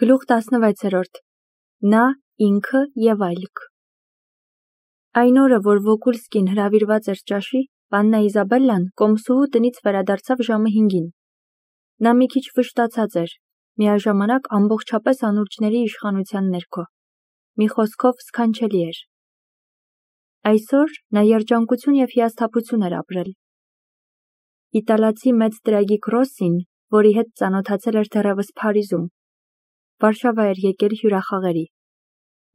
Գլուխ 16-րդ Նա, ինքը և այլք Այն օրը, որ Վոկուլսկին հրավիրված էր ճաշի, Պաննա Իզաբելլան կոմսուհու տնից վերադարձավ ժամը 5-ին։ Նա մի քիչ վշտացած էր, միաժամանակ ամբողջապես անուրջների իշխանության ներքո։ Մի խոսքով սքանչելի էր։ Այսօր նա երջանկություն և հիասթափություն էր ապրել։ Իտալացի մեծ տրագիկ Ռոսսին, որի հետ ծանոթացել էր դեռևս Փարիզում, Վարշավա էր եկել հյուրախաղերի։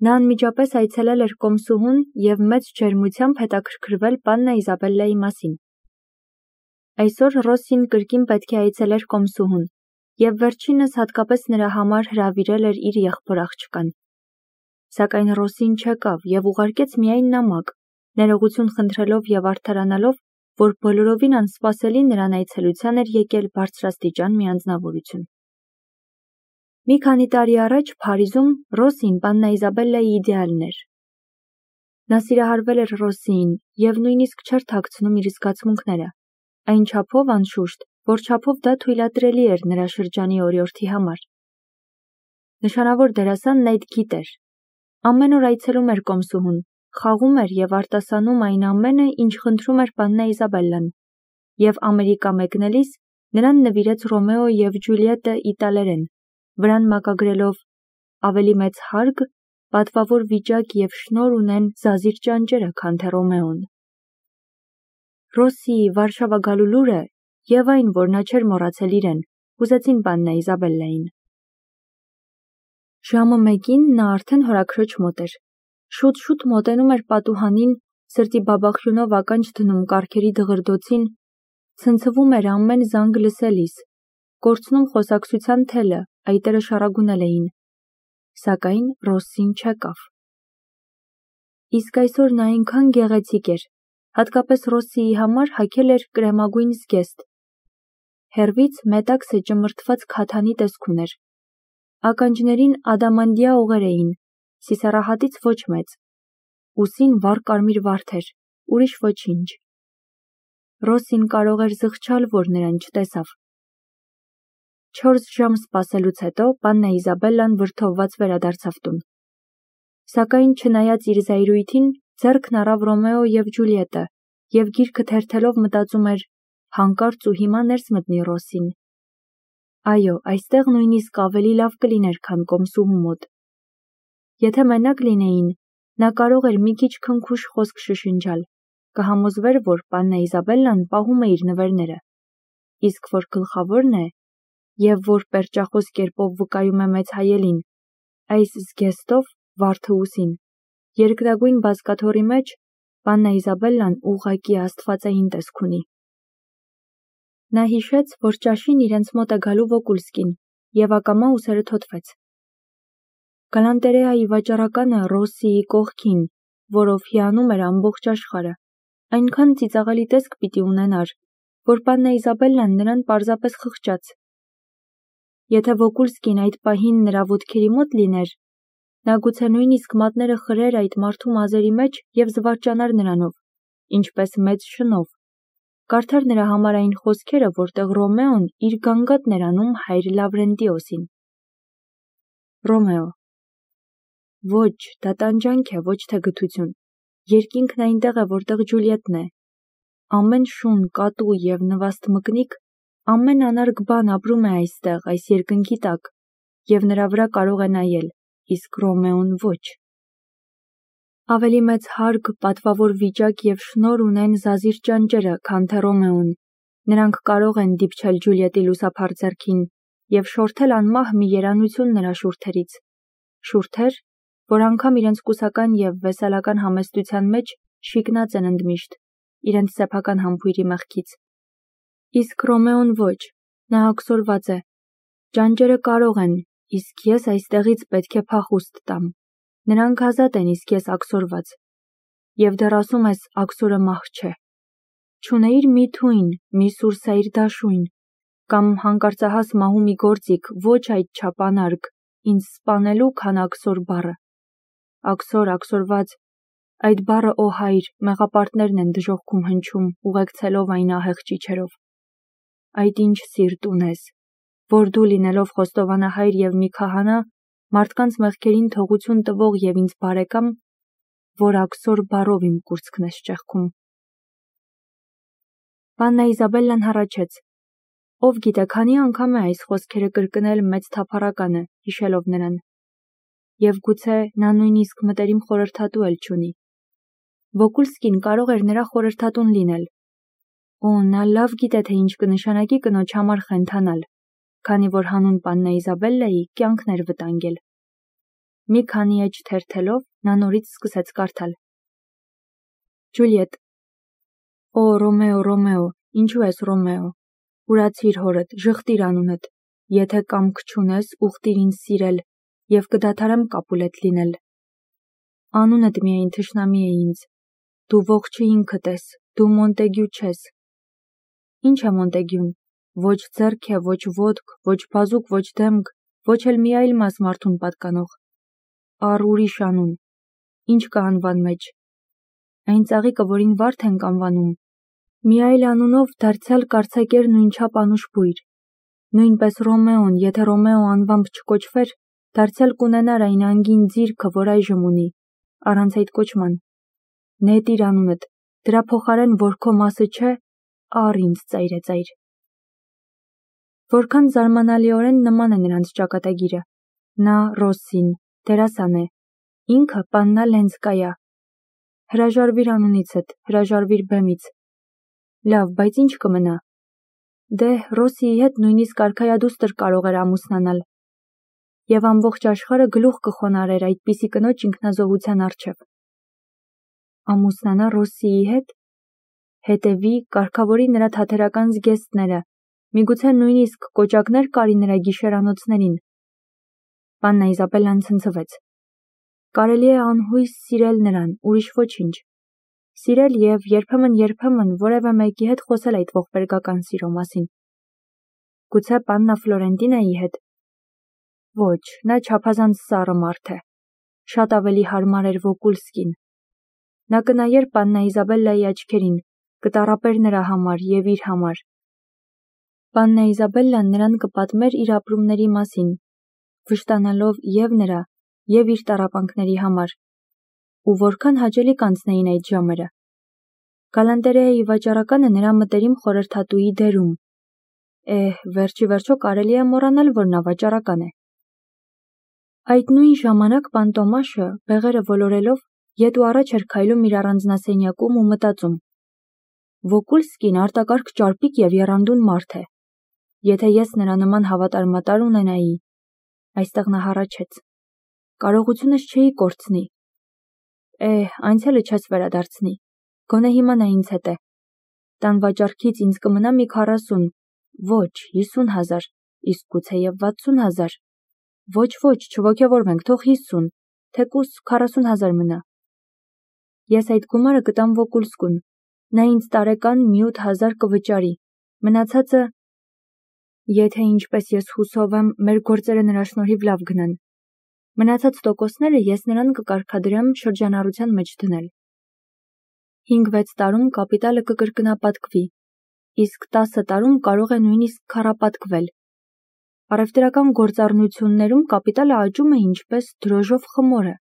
Նա անմիջապես այցելել էր կոմսուհուն և մեծ ջերմությամբ հետաքրքրվել Պաննա Իզաբելլայի մասին։ Այսօր Ռոսսին կրկին պետք է այցելեր կոմսուհուն և վերջինս հատկապես նրա համար հրավիրել էր իր եղբոր աղջկան։ Սակայն Ռոսսին չեկավ և ուղարկեց միայն նամակ, ներողություն խնդրելով և արդարանալով, որ բոլորովին անսպասելի նրան այցելության էր եկել բարձրաստիճան մի անձնավորություն։ Մի քանի տարի առաջ Փարիզում Ռոսսին Պաննա Իզաբելլայի իդեալն էր։ Նա սիրահարվել էր Ռոսսիին և նույնիսկ չէր թաքցնում իր զգացմունքները, այն չափով անշուշտ, որ չափով դա թույլատրելի էր նրա շրջանի օրիորդի համար։ Նշանավոր դերասանն այդ գիտեր։ Ամեն օր այցելում էր կոմսուհուն, խաղում էր և արտասանում այն ամենը, ինչ խնդրում էր Պաննա Իզաբելլան, և Ամերիկա մեկնելիս նրան նվիրեց Ռոմեո և Ջուլիետտը իտալերեն, վրան մակագրելով ավելի մեծ հարկ, պատվավոր վիճակ և շնորհ ունեն զազիր ճանճերը, քան թե Ռոմեոն։ Ռոսսիի Վարշավա գալու լուրը և այն, որ նա չէր մոռացել իրեն, հուզեցին Պաննա Իզաբելլային։ Ժամը 1-ին նա արդեն հորաքրոջ մոտ էր։ Շուտ-շուտ մոտենում էր պատուհանին, սրտի բաբախյունով ականջ դնում կառքերի դղրդոցին, ցնցվում էր ամեն զանգ լսելիս, կորցնում խոսակցության թելը, այտերը շառագունել էին։ Սակայն Ռոսսին չեկավ։ Իսկ այսօր նա այնքան գեղեցիկ էր, հատկապես Ռոսսիի համար հագել էր կրեմագույն զգեստ։ Հեռվից մետաքսը ճմրթված քաթանի տեսք ուներ։ Ականջներին ադամանդյա օղեր էին, սիսեռահատից ոչ մեծ։ Ուսին վառ կարմիր վարդ էր, ուրիշ ոչինչ։ Ռոսսին կարող էր զղջալ, որ նրան չտեսավ։ 4 ժամ սպասելուց հետո Պաննա Իզաբելլան վրդովված վերադարձավ տուն։ Սակայն չնայած իր զայրույթին, ձեռքն առավ Ռոմեո և Ջուլիետտը և գիրքը թերթելով մտածում էր. հանկարծ ու հիմա ներս մտնի Ռոսսին։ Այո, այստեղ նույնիսկ ավելի լավ կլիներ, քան կոմսուհու մոտ։ Եթե մենակ լինեին, նա կարող էր մի քիչ քնքուշ խոսք շշնջալ, կհամոզվեր, որ Պաննա Իզաբելլան պահում է իր նվերները, իսկ որ գլխավորն է, և որ պերճախոս կերպով վկայում է մեծ հայելին, այս զգեստով վարդը ուսին, երկրագույն բազկաթոռի մեջ Պաննա Իզաբելլան ուղղակի աստվածային տեսք ունի։ Նա հիշեց, որ ճաշին իրենց մոտ է գալու Վոկուլսկին, և ակամա ուսերը թոթվեց։ Գալանտերեայի վաճառականը Ռոսսիի կողքին, որով հիանում էր ամբողջ աշխարհը, այնքան ծիծաղելի տեսք պիտի ունենար, որ Պաննա Իզաբելլան նրան պարզապես խղճաց։ Եթե Վոկուլսկին այդ պահին նրա ոտքերի մոտ լիներ, նա գուցե նույնիսկ մատները խրեր այդ մարդու մազերի մեջ և զվարճանար նրանով, ինչպես մեծ շնով, կարդար նրա համար այն խոսքերը, որտեղ Ռոմեոն իր գանգատն էր անում հայր Լավրենտիոսին։ Ռոմեո. Ոչ, դա տանջանք է, ոչ թե գթություն։ Երկինքն այնտեղ է, որտեղ Ջուլիետտն է։ Ամեն շուն, կատու և նվաստ մկնիկ, ամեն անարգ բան ապրում է այստեղ, այս երկնքի տակ, և նրա վրա կարող է նայել, իսկ Ռոմեոն ոչ։ Ավելի մեծ հարկ, պատվավոր վիճակ և շնորհ ունեն զազիր ճանճերը, քան թե Ռոմեոն։ Նրանք կարող են դիպչել Ջուլիետտի լուսափար ձեռքին և շորթել անմահ մի երանություն նրա շուրթերից։ Շուրթեր, որ անգամ իրենց կուսական և վեսելական համեստության մեջ շիկնած են ընդմիշտ, իրենց սեփական համբույրի մեղքից։ Իսկ Ռոմեոն ոչ, նա աքսորված է։ Ճանճերը կարող են, իսկ ես այստեղից պետք է փախուստ տամ։ Նրանք ազատ են, իսկ ես աքսորված։ Եվ դեռ ասում ես աքսորը մահ չէ։ Չունեիր մի թույն, մի սուրսայր դաշույն, կամ հանկարծահաս մահու մի գործիք, ոչ այդչափ անարգ, ինձ սպանելու, քան աքսոր բառը։ Աքսոր, աքսորված, այդ բառը, օ հայր, մեղապարտներն են դժոխքում հնչում, ուղեկցելով այն ահեղ ճիչերով։ Այդ ինչ սիրտ ունես, որ դու լինելով խոստովանահայր և մի քահանա, մարդկանց մեղքերին թողություն տվող և ինձ բարեկամ, որ աքսոր բառով իմ կուրծքն ես ճեղքում։ Պաննա Իզաբելլան հառաչեց. ով գիտե, քանի անգամ է այս խոսքերը կրկնել մեծ թափառականը, հիշելով նրան։ Եվ գուցե նա նույնիսկ մտերիմ խորհրդատու էլ չունի։ Վոկուլսկին կարող էր նրա խորհրդատուն լինել։ Օ, նա լավ գիտե, թե ինչ կնշանակի կնոջ համար խենթանալ, քանի որ հանուն Պաննա Իզաբելլայի կյանքն էր վտանգել։ Մի քանի էջ թերթելով, նա նորից սկսեց կարդալ. Ջուլիետ. Օ, Ռոմեո, Ռոմեո, ինչու ես Ռոմեո։ Ուրացիր հորդ, ժխտիր անունդ, եթե կամք չունես, ուխտիր ինձ սիրել, և կդադարեմ Կապուլետ լինել։ Անունդ միայն թշնամի է ինձ, դու ողջը ինքդ ես, դու Մոնտեգյու չես։ Ինչ է Մոնտեգյուն, ոչ ձեռք է, ոչ ոտք, ոչ բազուկ, ոչ դեմք, ոչ էլ մի այլ մաս մարդուն պատկանող։ Առ ուրիշ անուն, ինչ կա անվան մեջ։ Այն ծաղիկը, որին վարդ ենք անվանում, մի այլ անունով դարձյալ կարծակեր նույնչափ անուշ բույր։ Նույնպես Ռոմեոն, եթե Ռոմեո անվամբ չկոչվեր, դարձյալ կունենար այն անգին ձիրքը, որ այժմ ունի, առանց այդ կոչման։ Նետիր անունդ, դրա փոխարեն, որ քո մասը չէ, առ ինձ ծայրեծայր։ Որքան զարմանալիորեն նման է նրանց ճակատագիրը։ Նա Ռոսսին, դերասան է, ինքը Պաննա Լենսկայա։ Հրաժարվիր անունիցդ, հրաժարվիր բեմից։ Լավ, բայց ինչ կմնա։ Դե, Ռոսիի հետ նույնիսկ արքայադուստր կարող էր ամուսնանալ։ Եվ ամբողջ աշխարհը գլուխ կխոնարհեր այդպիսի կնոջ ինքնազոհության առջև։ Ամուսնանա Ռոսիի հետ։ Հետևի, կարգավորի նրա թատերական զգեստները, միգուցե նույնիսկ կոճակներ կարի նրա գիշերանոցներին։ Պաննա Իզաբելլան ցնցվեց։ Կարելի է անհույս սիրել նրան, ուրիշ ոչինչ։ Սիրել և երբեմն որևէ մեկի հետ խոսել այդ ողբերգական սիրո մասին։ Գուցե Պաննա Ֆլորենտինայի հետ։ Ոչ, նա չափազանց սառը մարդ է։ Շատ ավելի հարմար էր Վոկուլսկին։ Նա կնայեր Պաննա Իզաբելլայի աչքերին, կտառապեր նրա համար և իր համար։ Պաննա Իզաբելլան նրան կպատմեր իր ապրումների մասին, վշտանալով և նրա, և իր տառապանքների համար։ Ու որքան հաճելի կանցնեին այդ ժամերը։ Գալանտերեայի վաճառականը նրա մտերիմ խորհրդատուի դերում։ Վերջի վերջո կարելի է մոռանալ, որ նա վաճառական է։ Այդ նույն ժամանակ պան Տոմաշը, բեղերը ոլորելով, ետ ու առաջ էր քայլում իր առանձնասենյակում ու մտածում. Վոկուլսկին արտակարգ ճարպիկ և եռանդուն մարդ է։ Եթե ես նրա նման հավատարմատար ունենայի, այստեղ նա հառաչեց, կարողությունս չէի կորցնի։ Անցյալը չես վերադարձնի, գոնե հիմա նա ինձ հետ է։ Տան վաճառքից ինձ կմնա մի 40, ոչ 50,000, իսկ գուցեև 60,000։ Ոչ, չոգևորվենք, թող 50, թեկուզ 40,000 մնա։ Ես այդ գումարը կտամ Վոկուլսկուն, նա ինձ տարեկան մի 8,000 կվճարի, մնացածը… Եթե ինչպես ես հուսով եմ, մեր գործերը նրա շնորհիվ լավ գնան։ Մնացած տոկոսները ես նրան կկարգադրեմ շրջանառության մեջ դնել։ 5-6 տարում կապիտալը կկրկնապատկվի, իսկ 10 տարում կարող է նույնիսկ քառապատկվել։ Առևտրական գործառնություններում կապիտալը աճում է ինչպես դրոժով խմորը։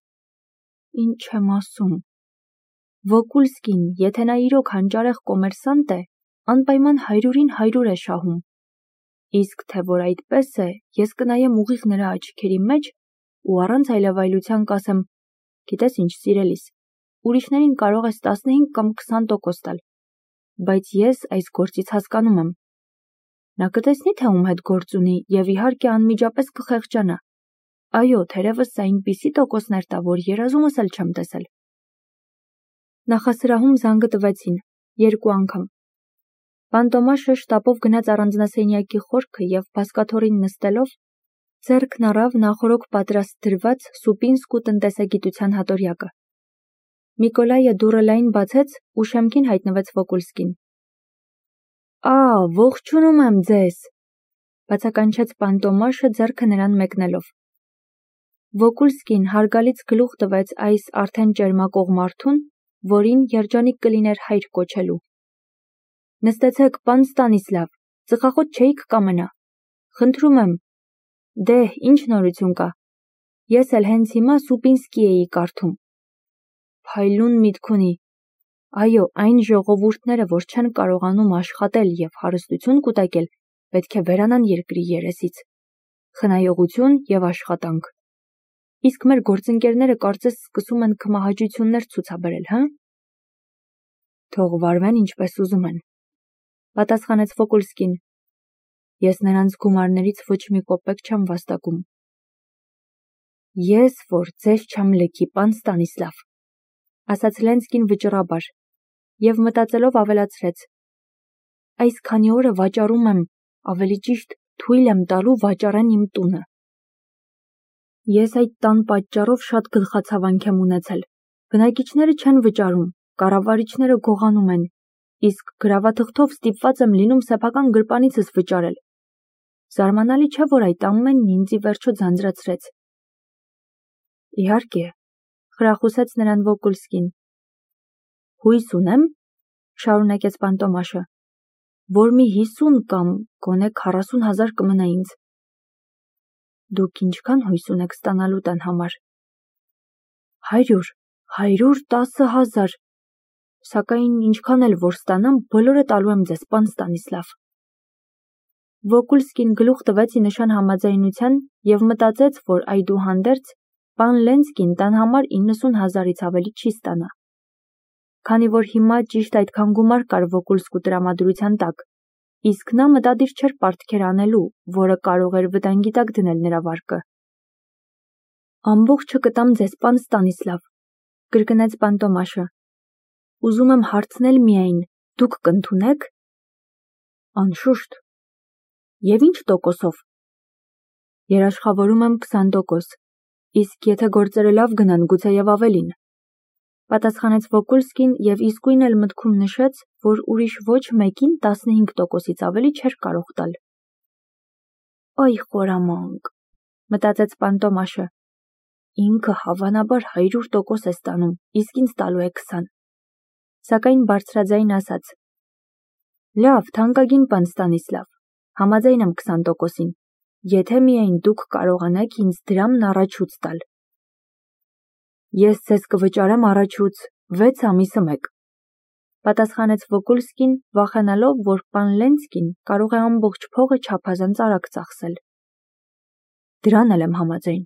Ինչ եմ ասում։ Վոկուլսկին, եթե նա իրոք հանճարեղ կոմերսանտ է, անպայման 100-ին 100 է շահում։ Իսկ թե որ այդպես է, ես կնայեմ ուղիղ նրա աչքերի մեջ ու առանց այլևայլության կասեմ. գիտես ինչ, սիրելիս, ուրիշներին կարող ես 15 կամ 20% տալ, բայց ես այս գործից հասկանում եմ։ Նա կտեսնի, թե ում հետ գործ ունի և իհարկե անմիջապես կխեղճանա։ Այո, թերևս այնպիսի տոկոսներ տա, որ երազումս էլ չեմ տեսել։ Նախասրահում զանգը տվեցին 2 անգամ։ Պան Տոմաշը շտապով գնաց առանձնասենյակի խորքը և բազկաթոռին նստելով, ձեռքն առավ նախօրոք պատրաստ դրված սուպինսկու տնտեսագիտության հատորյակը։ Միկոլայը դուռը լայն բացեց ու շեմքին հայտնվեց Վոկուլսկին։ Ողջունում եմ ձեզ, բացականչեց պան Տոմաշը ձեռքը նրան մեկնելով։ Վոկուլսկին հարգալից գլուխ տվեց այս արդեն ճերմակող մարդուն, որին երջանիկ կլիներ հայր կոչելու։ Նստեցեք, պան Ստանիսլավ, ծխախոտ չէիք կամենա։ Խնդրում եմ։ Դե, ինչ նորություն կա։ Ես էլ հենց հիմա Սուպինսկի էի կարդում։ Փայլուն միտք ունի։ Այո, այն ժողովուրդները, որ չեն կարողանում աշխատել և հարստություն կուտակել, պետք է վերանան երկրի երեսից։ Խնայողություն և աշխատանք։ Իսկ մեր գործընկերները կարծես սկսում են քմահաճություններ ցուցաբերել, հա՞։ Թող վարվեն ինչպես ուզում են, պատասխանեց Վոկուլսկին։ Ես նրանց գումարներից ոչ մի կոպեկ չեմ վաստակում։ Ես որ ձեզ չեմ լքի, պան Ստանիսլավ, ասաց Լենսկին վճռաբար, և մտածելով ավելացրեց. այս քանի օրը վաճառում եմ, ավելի ճիշտ թույլ եմ տալու վաճառեն իմ տունը։ Ես այդ տան պատճառով շատ գլխացավանք եմ ունեցել։ Բնակիչները չեն վճարում, կառավարիչները գողանում են, իսկ գրավաթղթով ստիպված եմ լինում սեփական գրպանիցս վճարել։ Զարմանալի չէ, որ այդ ամենն ինձ ի վերջո ձանձրացրեց։ Իհարկե, խրախուսեց նրան Վոկուլսկին։ Հույս ունեմ, շարունակեց Պանտոմաշը, որ մի 50 կամ գոնե 40,000 կմնա ինձ։ Դուք ինչքան հույս ունեք ստանալու տան համար։ 110,000, սակայն ինչքան էլ որ ստանամ, բոլորը տալու եմ ձեզ, պան Ստանիսլավ։ Վոկուլսկին գլուխ տվեց ի նշան համաձայնության և մտածեց, որ այդուհանդերձ պան Լենսկին տան համար 90,000-ից ավելի չի ստանա։ Քանի որ հիմա ճիշտ այդքան գումար կար Վոկուլսկու տրամադրության տակ, իսկ նա մտադիր չէր պարտքեր անելու, որը կարող էր վտանգի տակ դնել նրա վարկը։ Ամբողջը կտամ ձեզ, պան Ստանիսլավ, կրկնեց Պանտոմաշը։ Ուզում եմ հարցնել միայն, դուք կընդունեք։ Անշուշտ։ Եվ ինչ տոկոսով։ Երաշխավորում եմ 20%, իսկ եթե գործերը լավ գնան, գուցեև ավելին, պատասխանեց Վոկուլսկին և իսկույն էլ մտքում նշեց, որ ուրիշ ոչ մեկին 15%-ից ավելի չէր կարող տալ։ Այ խորամանկ, մտածեց Պանտոմաշը, ինքը հավանաբար 100% է ստանում, իսկ ինձ տալու է 20, սակայն բարձրաձայն ասաց. Լավ, թանկագին պան Ստանիսլավ, համաձայն եմ 20%-ին, եթե միայն դուք կարողանաք ինձ դրամն առաջուց տալ։ Ես ձեզ կվճարեմ առաջուց 6 ամիսը մեկ, պատասխանեց Վոկուլսկին, վախենալով, որ պան Լենսկին կարող է ամբողջ փողը չափազանց արագ ծախսել։ Դրան էլ եմ համաձայն,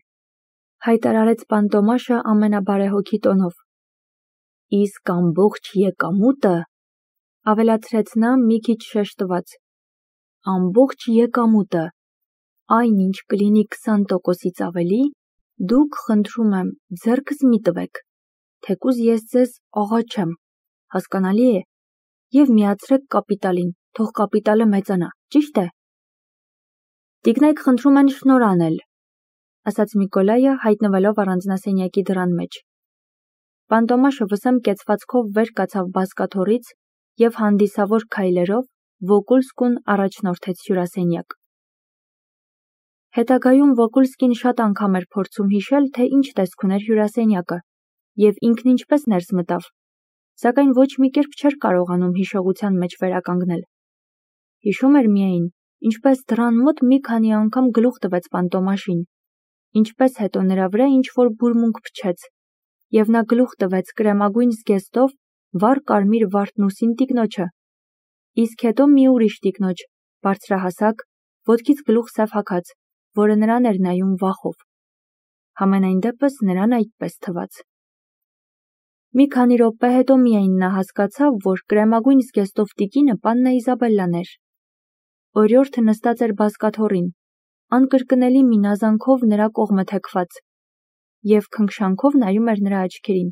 հայտարարեց Պանտոմաշը ամենաբարեհոգի տոնով։ Իսկ ամբողջ եկամուտը, ավելացրեց նա մի քիչ շեշտված, ամբողջ եկամուտը, այն ինչ կլինի 20%-ից ավելի, դուք խնդրում եմ ձեռքս մի տվեք, թեկուզ ես ձեզ աղա չեմ, հասկանալի է, և միացրեք կապիտալին, թող կապիտալը մեծանա, ճիշտ է։ Տիկնայք խնդրում են շնոր անել, ասաց Միկոլայը, հայտնվելով առանձնասենյակի դռան մեջ։ Պանտոմաշը վսեմ կեցվածքով վեր կացավ բազկաթոռից և հանդիսավոր քայլերով Վոկուլսկուն առաջնորդեց հյուրասենյակ։ Հետագայում Վոկուլսկին շատ անգամ էր փորձում հիշել, թե ինչ տեսք ուներ հյուրասենյակը, և ինքն ինչպես ներս մտավ, սակայն ոչ մի կերպ չէր կարողանում հիշողության մեջ վերականգնել։ Հիշում էր միայն, ինչպես դռան մոտ մի քանի անգամ գլուխ տվեց Պանտոմաշին, ինչպես հետո նրա վրա ինչ-որ բուրմունք փչեց, և նա գլուխ տվեց կրեմագույն զգեստով վառ կարմիր վարդնուսին տիկնոջը, իսկ հետո մի ուրիշ տիկնոջ, բարձրահասակ, ոտքից գլուխ սև հագած, որը նրան էր նայում վախով։ Համենայն դեպս նրան այդպես թվաց։ Մի քանի րոպե հետո միայն նա հասկացավ, որ կրեմագույն զգեստով տիկինը պաննա Իզաբելլան էր։ Օրիորդը նստած էր բազկաթոռին, անկրկնելի մի նազանքով նրա կողմը թեքված, և քնքշանքով նայում էր նրա աչքերին։